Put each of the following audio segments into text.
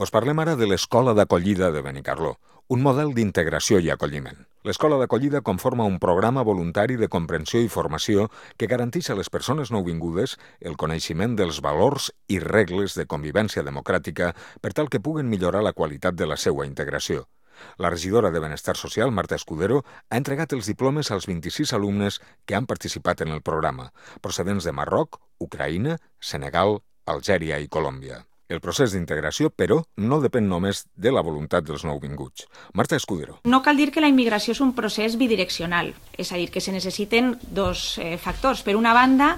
Us parlem ara de l'Escola d'Acollida de Benicarló, un model d'integració i acolliment. L'Escola d'Acollida conforma un programa voluntari de comprensió i formació que garanteix a les persones nouvingudes el coneixement dels valors i regles de convivència democràtica per tal que puguen millorar la qualitat de la seva integració. La regidora de Benestar Social, Marta Escudero, ha entregat els diplomes als 26 alumnes que han participat en el programa, procedents de Marroc, Ucraïna, Senegal, Algèria i Colòmbia. El procés d'integració, però, no depèn només de la voluntat dels nouvinguts. Marta Escudero. No cal dir que la immigració és un procés bidireccional, és a dir, que se necessiten dos factors. Per una banda,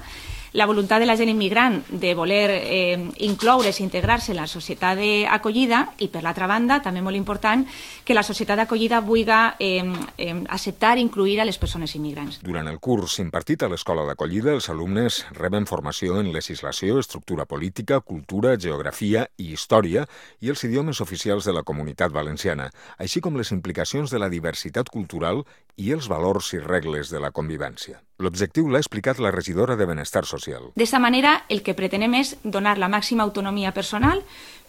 la voluntat de la gent immigrant de voler incloure's i integrar-se en la societat d'acollida i, per l'altra banda, també molt important, que la societat d'acollida vulgui acceptar i incluir a les persones immigrants. Durant el curs impartit a l'Escola d'Acollida, els alumnes reben formació en legislació, estructura política, cultura, geografia i història i els idiomes oficials de la Comunitat Valenciana, així com les implicacions de la diversitat cultural i els valors i regles de la convivència. L'objectiu l'ha explicat la regidora de Benestar Social. D'esta manera, el que pretenem és donar la màxima autonomia personal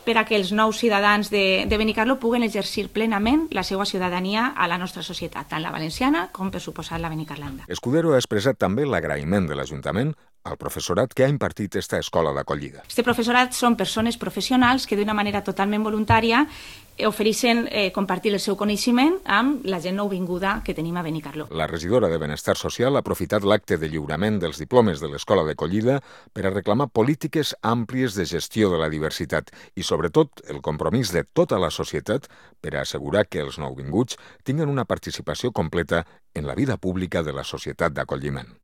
per a que els nous ciutadans de Benicarló puguen exercir plenament la seva ciutadania a la nostra societat, tant la valenciana com, per suposat, la benicarlanda. Escudero ha expressat també l'agraïment de l'Ajuntament al professorat que ha impartit esta escola d'acollida. Este professorat són persones professionals que d'una manera totalment voluntària ofereixen compartir el seu coneixement amb la gent nouvinguda que tenim a Benicarló. La regidora de Benestar Social ha aprofitat l'acte de lliurament dels diplomes de l'Escola d'Acollida per a reclamar polítiques àmplies de gestió de la diversitat i, sobretot, el compromís de tota la societat per a assegurar que els nouvinguts tinguen una participació completa en la vida pública de la societat d'acolliment.